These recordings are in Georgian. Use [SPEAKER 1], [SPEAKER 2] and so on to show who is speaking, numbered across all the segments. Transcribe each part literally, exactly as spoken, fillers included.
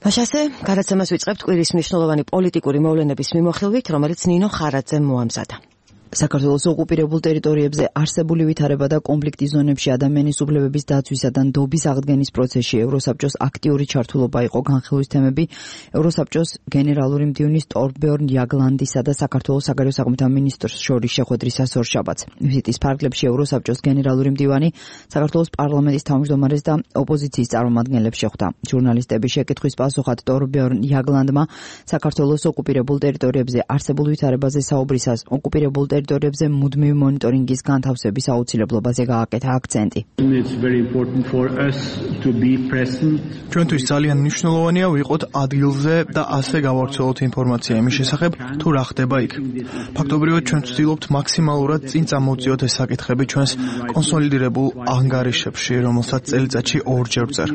[SPEAKER 1] მაშასე, გადაცემას ვიწყებთ კვირის მნიშვნელოვანი პოლიტიკური მოვლენების მიმოხილვით, რომელიც ნინო ხარაძემ მოამზადა.
[SPEAKER 2] საქართველოს ოკუპირებულ ტერიტორიებზე არსებული ვითარება და კონფლიქტის ზონებში ადამიანის უფლებების დაცვისა და ნდობის აღდგენის პროცესში ევროსაბჭოს აქტიური ჩართულობა იყო განხილვის თემები ევროსაბჭოს გენერალური მდივნის ტორბერნ იაგლანდისა და საქართველოს საგარეო საქმეთა მინისტრს შორის შეხვედრისას ორშაბათს. ვიზიტის ფარგლებში ევროსაბჭოს გენერალური მდივანი საქართველოს პარლამენტის თავმჯდომარეს და ოპოზიციის წარმომადგენლებს შეხვდა. ჟურნალისტების შეკითხვის პასუხად ტორბერნ იაგლანდმა საქართველოს ოკუპირებულ ტერიტორიებზე არსებულ ვითარებაზე საუბრისას ოკუპირებულ ტერიტორიებზე მუდმივი მონიტორინგის განთავსების აუცილებლობაზე გააკეთა აქცენტი.
[SPEAKER 3] ჩვენთვის ძალიან მნიშვნელოვანია ვიყოთ ადგილზე და ასე გავავრცელოთ ინფორმაცია იმის შესახებ, თუ რა ხდება იქ. ფაქტობრივად ჩვენ ვცდილობთ მაქსიმალურად წინ წამოვწიოთ ეს საკითხები ჩვენს კონსოლიდირებულ ანგარიშებში, რომელსაც წელიწადში ორჯერ ვწერ.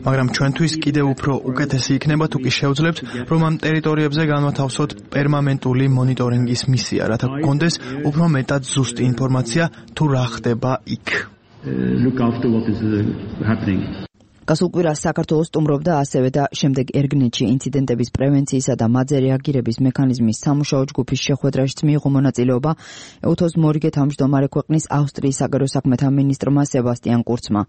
[SPEAKER 3] მაგრამ ჩვენთვის კიდევ უფრო უკეთესი იქნება თუ კი შევძლებთ, რომ ამ ტერიტორიებზე განვათავსოთ პერმანენტული მონიტორინგის მისია, რათა გქონდეს უფრო მეტად ზუსტი ინფორმაცია თუ რა ხდება იქ. გასულ კვირას საქართველოს სტუმრობდა ასევე და შემდეგ ერგნეთში ინციდენტების პრევენციისა და მათზე რეაგირების მექანიზმის სამუშაო ჯგუფის შეხვედრაშიც მიიღო მონაწილეობა ეუთოს მორიგე თავმჯდომარე ქვეყნის ავსტრიის საგარეო საქმეთა მინისტრმა სებასტიან კურცმა.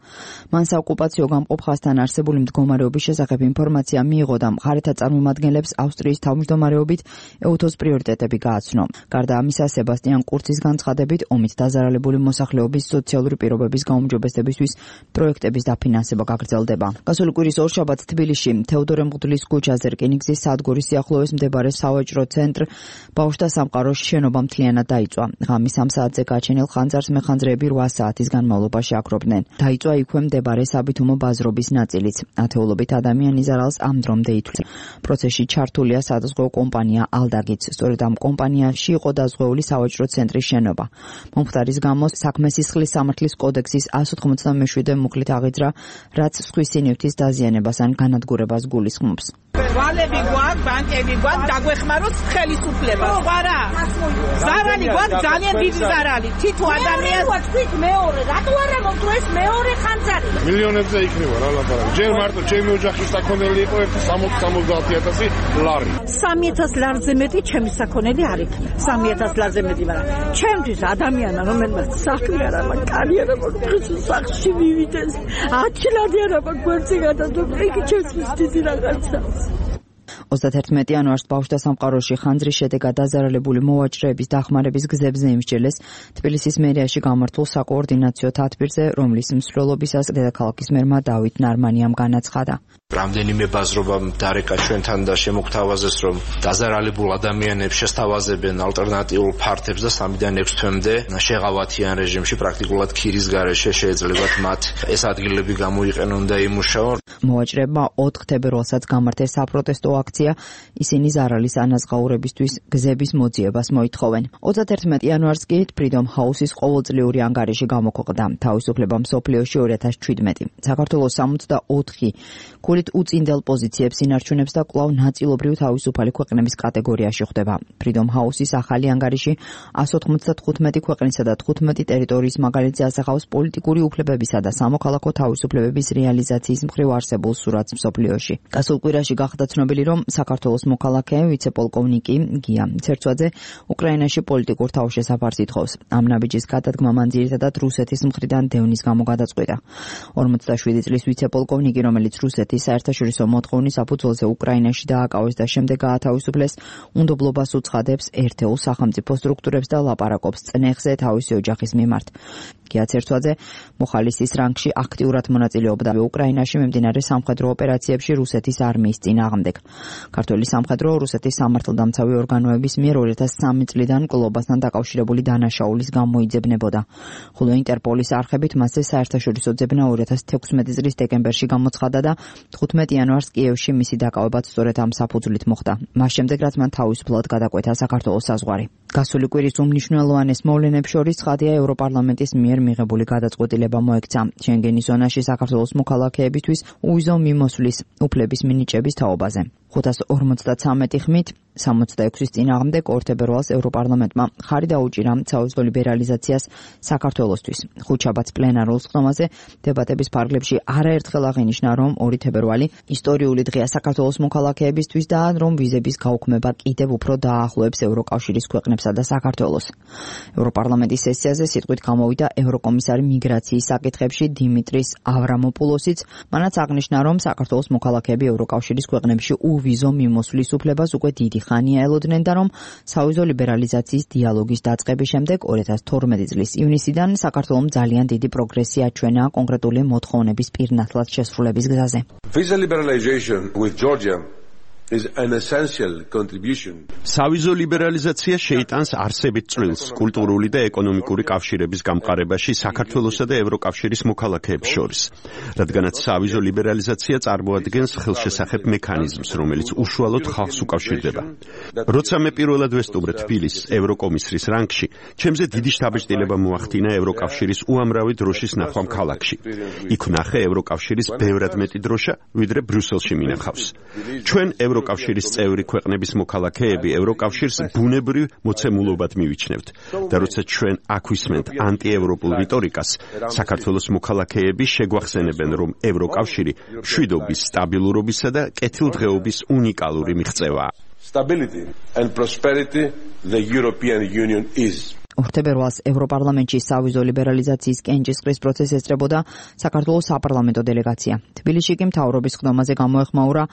[SPEAKER 3] მან საოკუპაციო გამყოფ ხაზთან არსებული მდგომარეობის შესახებ ინფორმაცია მიიღო და მხარეთა წარმომადგენლებს ავსტრიის თავმჯდომარეობით ეუთოს პრიორიტეტები გააცნო. გარდა ამისა, სებასტიან კურცის განცხადებით, ომით დაზარალებული მოსახლეობის სოციალური პირობების გაუმჯობესებისთვის პროექტების დაფინანსება გაგრძელდა. გასული კვირის ორშაბათს თბილისში თეოდორე მღვდლის ქუჩაზე რკინიგზის სადგურის სიახლოვეს მდებარე სავაჭრო ცენტრ ბავშვთა სამყაროს შენობა მთლიანად დაიწვა. ღამის სამ საათზე გაჩენილ ხანძარს მეხანძრეები რვა საათის განმავლობაში აკრობდნენ. დაიწვა იქვე მდებარე საბითუმო ბაზრობის ნაწილიც. ათეულობით ადამიანი ზარალს ამ დრომდე ითვლის. პროცესში ჩართულია სადაზღვევო კომპანია ალდაგიც. სწორედ ამ კომპანიაში იყო დაზღვეული სავაჭრო ცენტრის შენობა. მომხდარის გამო საქმე სისხლის სამართლის კოდექსის εκατს ოთხმოცდამეშვიდე მუხლით აღიძრა, რაც სხვის სინივთის დაზიანებას ან განადგურებას გულისხმობს.
[SPEAKER 4] ვალები გვაქვს, ბანკები გვაქვს, დაგვეხმაროთ ხელისუფლება. სხვა რა? ზარალი გვაქვს, ძალიან დიდი ზარალი. თითო ადამიანს
[SPEAKER 5] თქვით მეორე, რატო არა მოვთო ეს მეორე ხანძარი?
[SPEAKER 6] მილიონებზე იქნება რა ლაპარაკი. ჯერ მარტო ჩემი ოჯახის საქონელი იყო ერთი სამოცდა სამოცდაათი ათასი ლარი.
[SPEAKER 4] სამი ათასი ლარზე მეტი ჩემი საქონელი არ იქნება. სამი ათასი ლარზე მეტი, მაგრამ ჩემთვის ადამიანა, რომელმაც საქმე არ აქვს, კარიერა აქვს, სახში მივიდეს. ათი ლარი არა გვერდზე გადადობ, იქ ჩემთვის დიდი რაღაცა.
[SPEAKER 2] ოცდაათი იანვარს ბავშვთა სამყაროში ხანძრის შედეგად დაზარალებული მოვაჭრეების დახმარების გზებზე იმსჯელეს თბილისის მერიაში გამართულ საკოორდინაციო თათბირზე, რომლის მსვლელობისას დედაქალაქის მერმა დავით ნარმანიამ განაცხადა.
[SPEAKER 7] რამდენიმე ბაზრობამ დარეკა ჩვენთან და შემოგთავაზეს, რომ დაზარალებულ ადამიანებს შესთავაზებენ ალტერნატიულ ფართებს და სამიდან ექვს თვემდე შეღავათიან რეჟიმში, პრაქტიკულად ქირის გარეშე შეეძლებათ მათ ეს ადგილები გამოიყენონ და იმუშაონ.
[SPEAKER 2] მოვაჭრეებმა ოთხ თებერვალსაც გამართეს საპროტესტო აქცია, ისინი ზარალის ანაზღაურებისთვის გზების მოძიებას მოითხოვენ. ოცდაათი იანვარს კი Freedom House-ის ყოველწლიური ანგარიში გამოქვეყნდა თავისუფლება მსოფლიოში ორი ათას შვიდმეტი. საქართველოს სამოცდაოთხი ქულით უწინდელ პოზიციებს ინარჩუნებს და კვლავ ნაწილობრივ თავისუფალი ქვეყნების კატეგორიაში ხვდება. Freedom House-ის ახალი ანგარიში εκατს ოთხმოცდათხუთმეტი ქვეყნისა და თხუთმეტი ტერიტორიის მაგალითზე ასახავს პოლიტიკური უფლებებისა და სამოქალაქო თავისუფლებების რეალიზაციის მხრივ არსებულ სურათს მსოფლიოში. გასულ კვირაში გახდა ცნობილი, რომ საქართველოს მოქალაქე ვიცე-პოლკოვნიკი გია ცერცვაძე უკრაინაში პოლიტიკურ თავშესაფარს ითხოვს. ამ ნაბიჯის გადადგმა მან ძირითადად რუსეთის მხრიდან დევნის გამო გადაწყვიტა. ორმოცდაშვიდი წლის ვიცე-პოლკოვნიკი, რომელიც რუსეთის საერთაშორისო მოთხოვნის საფუძველზე უკრაინაში დააკავეს და შემდეგ გაათავისუფლეს, უნდობლობას უცხადებს ერთეულ სახელმწიფო სტრუქტურებს და ლაპარაკობს წნეხზე თავისი ოჯახის მიმართ. გია ცერცვაძე მოხალისის რანგში აქტიურად მონაწილეობდა უკრაინაში მიმდინარე სამხედრო ოპერაციებში რუსეთის არმიის წინააღმდეგ. ქართული სამხედრო რუსეთის სამართალდამცავი ორგანოების მიერ ორი ათას სამი წლიდან მკვლობასთან დაკავშირებული დანაშაულის გამოიძებნებოდა. ხოლო ინტერპოლის არხებით მასზე საერთაშორისო ძებნა ორი ათას თექვსმეტი წლის დეკემბერში გამოცხადა და თხუთმეტი იანვარს კიევში მისი დაკავებაც სწორედ ამ საფუძვლით მოხდა. მას შემდეგ რაც მან თავისუფლად გადაკვეთა საქართველოს საზღვარი. გასული კვირის უმნიშვნელოვანეს მოვლენებს შორის ცხადია ევროპარლამენტის მიერ მიღებული გადაწყვეტილება მოექცა შენგენის ზონაში საქართველოს მოქალაქეებისთვის უვიზო მიმოსვლის უფლების მინიჭების თაობაზე. ხუთას ორმოცდათვრამეტი ხმით სამოცდაექვსის წინააღმდეგ ორ თებერვალს ევროპარლამენტმა ხარი დაუჭირა საუზო ლიბერალიზაციას საქართველოსთვის. ხუთშაბათს პლენარულ სხდომაზე დებატების ფარგლებში არაერთხელ აღინიშნა, რომ ორი თებერვალი ისტორიული დღეა საქართველოს მოქალაქეებისთვის და რომ ვიზების გაუქმება კიდევ უფრო დაახლოებს ევროკავშირის ქვეყნებსა და საქართველოს. ევროპარლამენტის სესიაზე სიტყვით გამოვიდა ევროკომისარი მიგრაციის საკითხებში დიმიტრის ავრამოპულოსიც, მანაც აღნიშნა, რომ საქართველოს მოქალაქეები ევროკავშირის ქვეყნებში უვიზო მიმოსვლის უფლებას უკვე დიდი ხანია ელოდნენ და რომ საუზო ლიბერალიზაციის დიალოგის დაწყების შემდეგ ორი ათას თორმეტი წლის ივნისიდან საქართველოს ძალიან დიდი პროგრესი აჩვენა კონკრეტული მოთხოვნების პირნათლად შესრულების გზაზე.
[SPEAKER 8] Visa liberalization with Georgia is an essential contribution.
[SPEAKER 9] Სავიზო ლიბერალიზაცია შეიტანს არსებით წვლილს კულტურული და ეკონომიკური კავშირების გამყარებაში საქართველოსა და ევროკავშირის მოქალაქეებს შორის, რადგანაც სავიზო ლიბერალიზაცია წარმოადგენს ხელშესახებ მექანიზმს, რომელიც უშუალოდ ხალხს უკავშირდება. როცა მე პირველად ვესტუმრე თბილისს ევროკომისრის რანგში, ჩემზე დიდი შთაბეჭდილება მოახდინა ევროკავშირის უამრავი დროშის ნახვამ ქალაქში. იქ ვნახე ევროკავშირის ბევრად მეტი დროშა, ვიდრე ბრიუსელში მინახავს. ჩვენ ევროკავშირის წევრი ქვეყნების მოქალაქეები ევროკავშირს ბუნებრივ მოცემულობად მივიჩნევთ და როცა ჩვენ აქ ვისმენთ ანტიევროპულ რიტორიკას, საქართველოს მოქალაქეები შეგვახსენებენ, რომ ევროკავშირი მშვიდობის, სტაბილურობისა და კეთილდღეობის უნიკალური მიღწევაა.
[SPEAKER 8] Stability and prosperity the European Union is.
[SPEAKER 2] ორ თებერვალს ევროპარლამენტში სავიზო ლიბერალიზაციის კენჭისყრის პროცესს ესწრებოდა საქართველოს საპარლამენტო დელეგაცია. თბილისში კი მთავრობის ხდომაზე გამოეხმაურა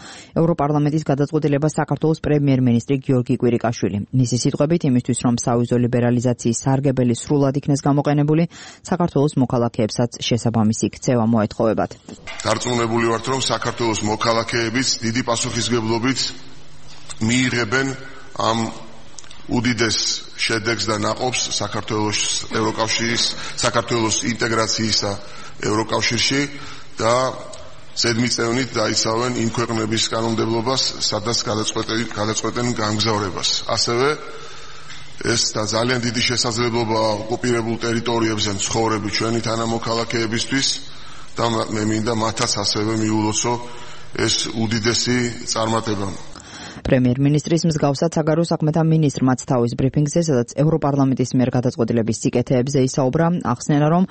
[SPEAKER 2] ევროპარლამენტის გადაწყვეტილება საქართველოს პრემიერ-მინისტრი გიორგი კვირიკაშვილი. მისი სიტყვებით, იმისთვის რომ სავიზო ლიბერალიზაციის სარგებელი სრულად იქნეს გამოყენებული, საქართველოს მოქალაქეებსაც შესაბამისი ქცევა მოეთხოვებათ.
[SPEAKER 6] დარწმუნებული ვართ, რომ საქართველოს მოქალაქეებიც დიდი პასუხისმგებლობით მიიღებენ ამ უდიდეს შედეგს და ნაყოფს საქართველოს ევროკავშირის საქართველოს ინტეგრაციისა ევროკავშირში და ზედმიწევნით დაიცავენ იმ ქვეყნების კანონმდებლობას, სადაც გადაწყვეტენ გამგზავრებას. ასევე ეს და ძალიან დიდი შესაძლებლობა ოკუპირებულ ტერიტორიებზე მცხოვრები ჩვენი თანამოქალაქეებისთვის და მე მინდა მათაც ასევე მიულოცო ეს უდიდესი წარმატება.
[SPEAKER 2] პრემიერ-მინისტრის მსგავსად საგარეო საქმეთა მინისტრმაც თავის ბრიფინგზე, სადაც ევროპარლამენტის მიერ გადაწყვეტილების სიკეთეებზე ისაუბრა, ახსენა, რომ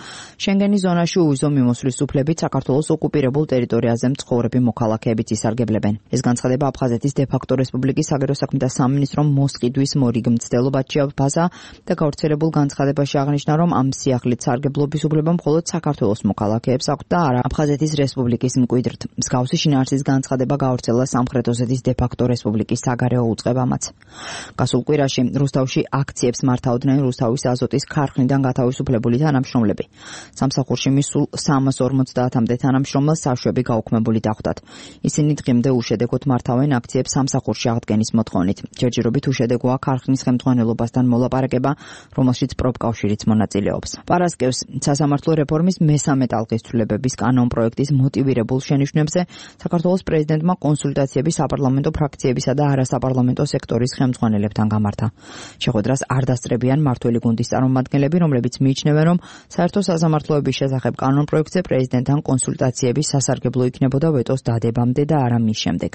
[SPEAKER 2] შენგენის ზონაში უვიზო მიმოსვლის უფლებით საქართველოს ოკუპირებულ ტერიტორიაზე მცხოვრები მოქალაქეებიც ისარგებლებენ. ეს განცხადება აფხაზეთის დე-ფაქტო რესპუბლიკის საგარეო საქმეთა სამინისტრომ მოსყიდვის მორიგ მცდელობად შეაფასა და გავრცელებულ განცხადებაში აღნიშნა, რომ ამ სიახლით სარგებლობის უფლება მხოლოდ საქართველოს მოქალაქეებს აქვთ და არა აფხაზეთის რესპუბლიკის მკვიდრთ. მსგავსი შინაარსის განცხადება გავრცელა სამხრეთ ოსეთის დე-ფაქტო რესპუბლიკის საგარეო უწყებამაც. გასულ კვირაში რუსთავში აქციებს მართავდნენ რუსთავის აზოტის ქარხნიდან გათავისუფლებული თანამშრომლები. სამსახურში მისულ სამას ორმოცდაათამდე თანამშრომელს საშვები გაუქმებული დახვდათ. ისინი დღემდე უშედეგოდ მართავენ აქციებს სამსახურში აღდგენის მოთხოვნით. ჯერჯერობით უშედეგოა ქარხნის ხელმძღვანელობასთან მოლაპარაკება, რომელშიც პროფკავშირიც მონაწილეობს. პარასკევს სასამართლო რეფორმის მესამე ტალღის ცვლილებების კანონპროექტის მოტივირებულ შენიშვნებზე საქართველოს პრეზიდენტმა კონსულტაციები საპარლამენტო ფრაქციებისა და არასაპარლამენტო სექტორის ხელმძღვანელებთან გამართა. შეხვედრას არ დასწრებიან მართველი გუნდის წარმომადგენლები, რომლებიც მიიჩნევენ, რომ საერთო სასამართლოების შესახებ კანონპროექტზე პრეზიდენტთან კონსულტაციების სასარგებლო იქნებოდა ვეტოს დადებამდე და არა მის შემდეგ.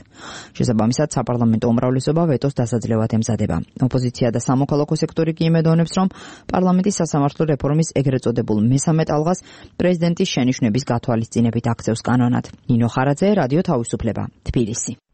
[SPEAKER 2] შესაბამისად, საპარლამენტო უმრავლესობა ვეტოს დასაძლევად ემზადება. ოპოზიცია და სამოქალაქო სექტორი კი იმედოვნებს, რომ პარლამენტის სასამართლო რეფორმის ეგრეთ წოდებულ მესამე ტალღას პრეზიდენტის შენიშვნების გათვალისწინებით აქცევს კანონად. ნინო ხარაძე, რადიო თავისუფლება, თბილისი.